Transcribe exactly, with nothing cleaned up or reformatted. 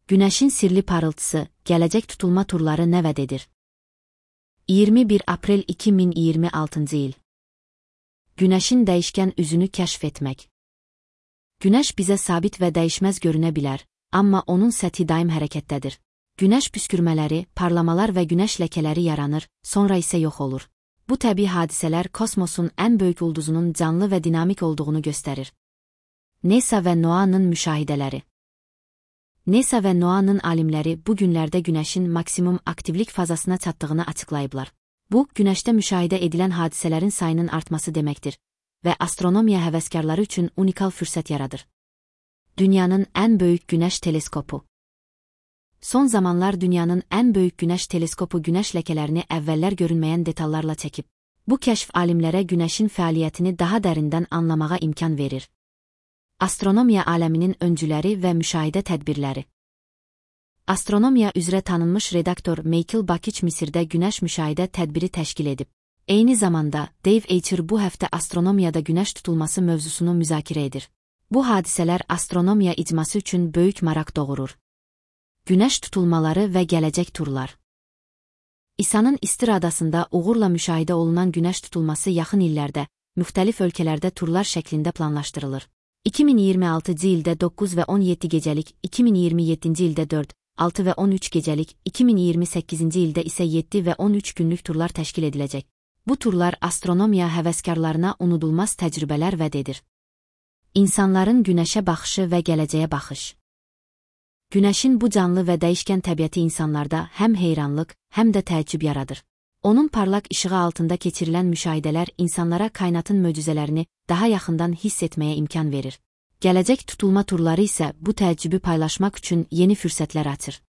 Günəşin sirli parıltısı, gələcək tutulma turları nə vəd edir? iyirmi bir aprel iki min iyirmi altıncı il. Günəşin dəyişkən üzünü kəşf etmək. Günəş bizə sabit və dəyişməz görünə bilər, amma onun səthi daim hərəkətdədir. Günəş püskürmələri, parlamalar və günəş ləkələri yaranır, sonra isə yox olur. Bu təbii hadisələr kosmosun ən böyük ulduzunun canlı və dinamik olduğunu göstərir. NASA və NOAA'nın müşahidələri. NASA və NOAA'nın alimləri bu günlərdə Günəşin maksimum aktivlik fazasına çatdığını açıqlayıblar. Bu, Günəşdə müşahidə edilən hadisələrin sayının artması deməkdir və astronomiya həvəskarları üçün unikal fürsət yaradır. Dünyanın ən böyük Günəş teleskopu. Son zamanlar dünyanın ən böyük Günəş teleskopu Günəş ləkələrini əvvəllər görünməyən detallarla çəkib. Bu kəşf alimlərə Günəşin fəaliyyətini daha dərindən anlamağa imkan verir. Astronomiya aləminin öncüləri və müşahidə tədbirləri. Astronomiya üzrə tanınmış redaktor Michael Bakich Misirdə Günəş müşahidə tədbiri təşkil edib. Eyni zamanda, Dave Archer bu həftə astronomiyada Günəş tutulması mövzusunu müzakirə edir. Bu hadisələr astronomiya icması üçün böyük maraq doğurur. Günəş tutulmaları və gələcək turlar. İsa'nın İstir adasında uğurla müşahidə olunan Günəş tutulması yaxın illərdə, müxtəlif ölkələrdə turlar şəklində planlaşdırılır. iki min iyirmi altıncı ildə doqquz və on yeddi gecəlik, iki min iyirmi yeddinci ildə dörd, altı və on üç gecəlik, iki min iyirmi səkkizinci ildə isə yeddi və on üç günlük turlar təşkil ediləcək. Bu turlar astronomiya həvəskarlarına unudulmaz təcrübələr vəd edir. İnsanların Günəşə baxışı və gələcəyə baxış. Günəşin bu canlı və dəyişkən təbiəti insanlarda həm heyranlıq, həm də təəccüb yaradır. Onun parlaq işığı altında keçirilən müşahidələr insanlara kainatın möcüzələrini daha yaxından hiss etməyə imkan verir. Gələcək tutulma turları isə bu təəccübü paylaşmaq üçün yeni fürsətlər açır.